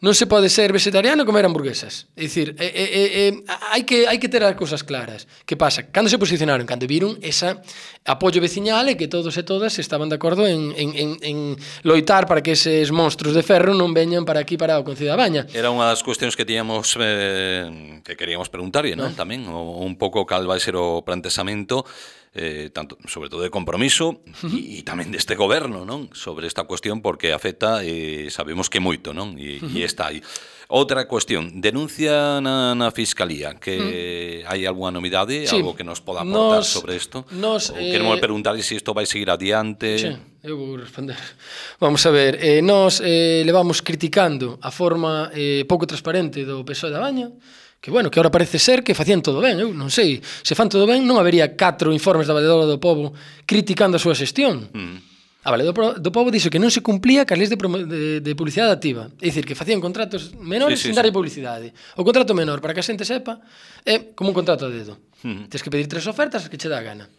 Non se pode ser vegetariano e comer hamburguesas. É dicir, hai que ter as cousas claras. Que pasa? Cando se posicionaron, cando viron ese apoio veciñal e que todos e todas estaban de acordo en loitar para que eses monstruos de ferro non veñan para aquí, para o Concello da Baña. Era unha das cuestións que tiñamos que queríamos preguntarlle, non? Tamén, un pouco cal vai ser o planteamento, tanto, sobre todo de Compromiso e tamén deste goberno, non? Sobre esta cuestión, porque afecta, sabemos que moito, non? E está aí. Outra cuestión, denuncia na Fiscalía, que hai algunha novidade, sí, algo que nos poda aportar sobre isto? Queremos preguntar se isto vai seguir adiante. Sí, eu vou responder. Vamos a ver, nos levamos criticando a forma pouco transparente do PSOE da Baña, que bueno, que ahora parece ser que facían todo ben, eu non sei, se fan todo ben non habería 4 informes da Valedora do Pobo criticando a súa xestión. A Valedora do Pobo dixo que non se cumplía cas leis de publicidade activa, é dicir, que facían contratos menores sin darlle publicidade. O contrato menor, para que a xente sepa, é como un contrato a dedo. Tens que pedir 3 ofertas que che dá a gana.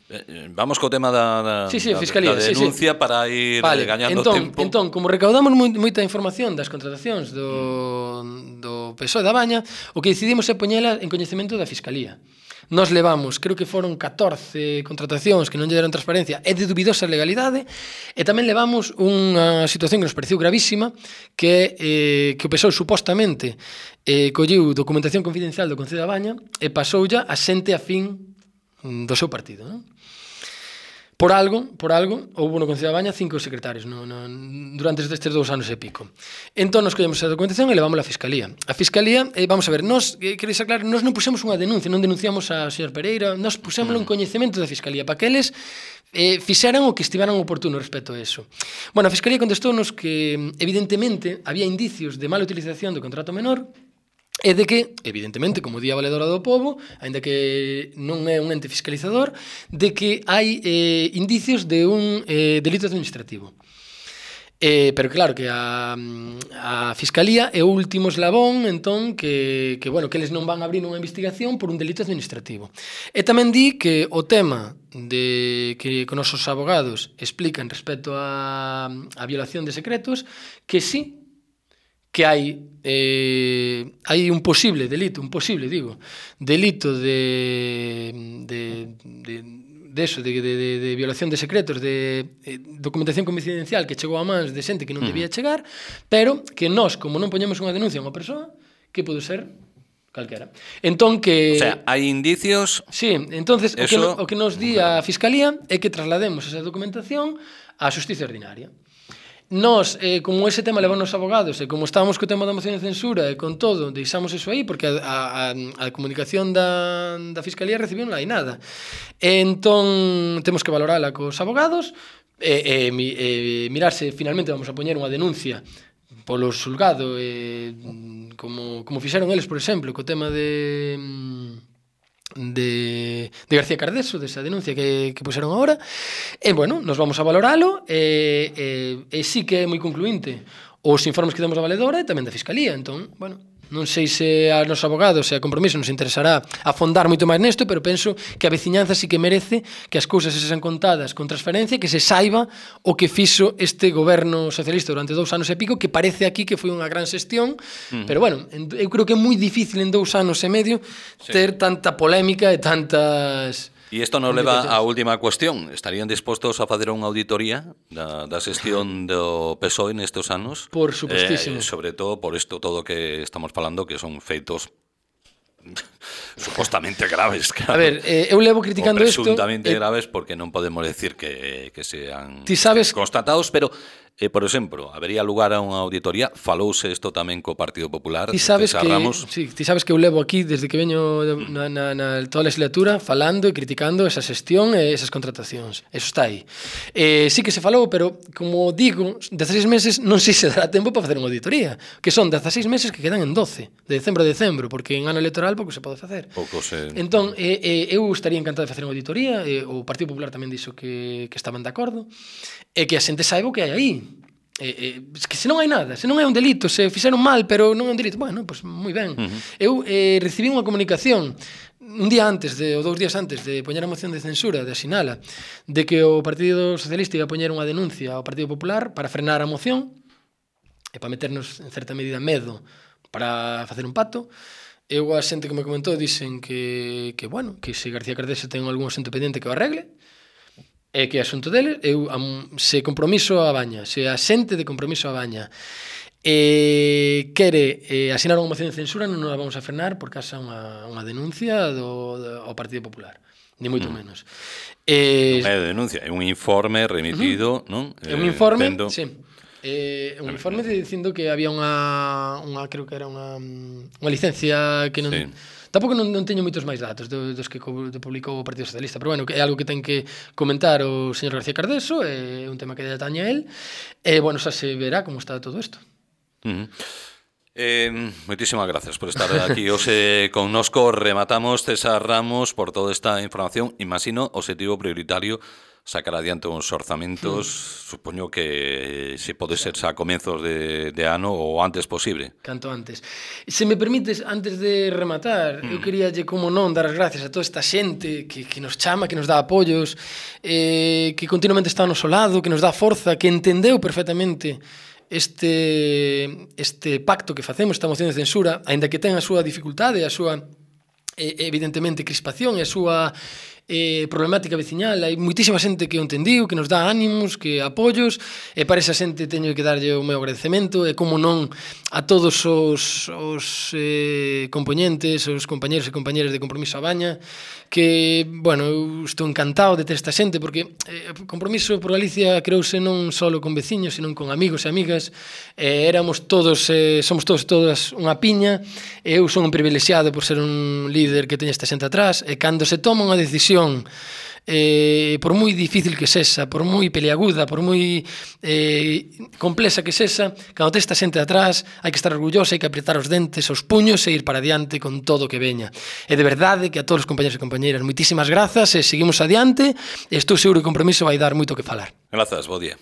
Vamos co tema da denuncia para ir gañando tempo. Entón, como recaudamos moita información das contratacións do PSOE da Baña, o que decidimos é poñela en coñecemento da Fiscalía. Nos levamos, creo que foron 14 contratacións que non lle deron transparencia e de dubidosa legalidade, e tamén levamos unha situación que nos pareceu gravísima, que o PSOE supostamente colleu documentación confidencial do Concello da Baña e pasoulla a xente afín do seu partido, non? Por algo, houve no Concello da Baña 5 secretarios durante estes 2 anos e pico. Entón, nos collemos a documentación e levámola á Fiscalía. A Fiscalía, vamos a ver, quero deixar claro, nos non pusemos unha denuncia, non denunciamos a señor Pereira, nos pusémoslo en coñecemento da Fiscalía, para que eles fixeran o que estiveran oportuno respecto a eso. Bueno, a Fiscalía contestounos que, evidentemente, había indicios de mala utilización do contrato menor, e de que, evidentemente, como di a Valedora do Pobo, aínda que non é un ente fiscalizador, de que hai indicios de un delito administrativo. Pero claro, que a Fiscalía é o último eslabón, entón, que eles non van a abrir unha investigación por un delito administrativo. E tamén di que o tema de que con os abogados explican respecto a violación de secretos, que sí, que hai un posible delito, delito de violación de secretos, de documentación confidencial que chegou a mans de xente que non debía chegar, pero que nós, como non poñemos unha denuncia a unha persoa, que pode ser calquera. Entón que... O sea, hai indicios... Sí, entonces o que nos di a Fiscalía é que traslademos esa documentación á Xustiza Ordinaria. Nós, como ese tema levou nos abogados, e como estábamos co tema da moción de censura e con todo, deixamos eso aí, porque a comunicación da Fiscalía recibiu non hai nada. Entón, temos que valorala cos abogados, mirar se finalmente vamos a poñer unha denuncia polo xulgado, como fixeron eles, por exemplo, co tema de García Cardeso, desa denuncia que puseron agora, e, bueno, nos vamos a valoralo, e sí que é moi concluinte os informes que damos da Valedora e tamén da Fiscalía, entón, bueno, non sei se a nos abogados e a Compromiso nos interesará afondar moito máis nesto, pero penso que a veciñanza sí que merece que as cousas se sean contadas con transparencia, que se saiba o que fixo este goberno socialista durante 2 anos e pico, que parece aquí que foi unha gran xestión, pero bueno, eu creo que é moi difícil en 2 anos e medio ter tanta polémica e tantas... E isto nos leva á última cuestión. Estarían dispostos a facer unha auditoría da xestión do PSOE nestes anos? Por supostísimo. Sobre todo por isto todo que estamos falando, que son feitos supostamente graves. Claro. A ver, eu levo criticando isto... Presuntamente graves, porque non podemos decir que sean constatados, pero... por exemplo, habería lugar a unha auditoría. Falouse isto tamén co Partido Popular. Ti sabes que eu levo aquí desde que veño na toda a legislatura falando e criticando esa xestión e esas contratacións. Eso está aí. Sí que se falou, pero como digo, 16 meses non sei se dará tempo para facer unha auditoría, que son 16 meses que quedan en 12, de decembro a decembro, porque en ano electoral pouco se pode facer. Entón, eu estaría encantado de facer unha auditoría, o Partido Popular tamén dixo que estaban de acordo, e que a xente saiba o que hai aí. Que se non hai nada, se non é un delito, se fixeron mal, pero non é un delito, bueno, pois moi ben. Eu recibí unha comunicación un día antes, ou 2 días antes de poñer a moción de censura, de asinala, de que o Partido Socialista iba a poñer unha denuncia ao Partido Popular para frenar a moción e para meternos en certa medida medo para facer un pacto. Eu a xente que me comentou dixen que bueno, que se García Cardeso ten algún asento pendiente que o arregle, e que é asunto dele. Eu, se Compromiso a baña, se a xente de Compromiso a baña quere asinar unha moción de censura, non a vamos a frenar por causa unha denuncia ao Partido Popular, ni moito menos. Non é denuncia, é un informe remitido, non? É un informe, sí. Un informe dicindo que había unha creo que era unha licencia que non... Sí. Tampouco non teño moitos máis datos dos que publicou o Partido Socialista, pero bueno, é algo que ten que comentar o señor García Cardeso, é un tema que atañe a él, e bueno, xa se verá como está todo isto. Moitísimas gracias por estar aquí hoxe connosco. Rematamos, César Ramos, por toda esta información. Imagino, objetivo prioritario sacar adiante uns orzamentos, supoño que se pode ser xa a comenzos de ano o antes posible. Canto antes. Se me permites, antes de rematar, eu queríalle, como non, dar as gracias a toda esta xente que nos chama, que nos dá apoios, que continuamente está ao noso lado, que nos dá forza, que entendeu perfectamente este pacto que facemos, esta moción de censura, aínda que ten a súa dificultade, a súa, evidentemente, crispación e a súa problemática veciñal. Hai moitísima xente que o entendiu, que nos dá ánimos, que apoios, e para esa xente teño que darlle o meu agradecemento, e como non a todos os compoñentes, os compañeros e compañeras de Compromiso a baña, que, bueno, eu estou encantado de ter esta xente, porque Compromiso por Galicia creouse non só con veciños, senón con amigos e amigas, éramos todos, somos todas unha piña, e eu son un privilexiado por ser un líder que teña esta xente atrás, e cando se toma unha decisión, por moi difícil que sexa, por moi peliaguda, por moi complexa que sexa, cando te esta xente atrás, hai que estar orgullosa, hai que apretar os dentes, os puños e ir para adiante con todo o que veña. E de verdade que a todos os compañeros e compañeiras, moitísimas grazas, e seguimos adiante, e estou seguro que o Compromiso vai dar moito que falar. Grazas, bo día.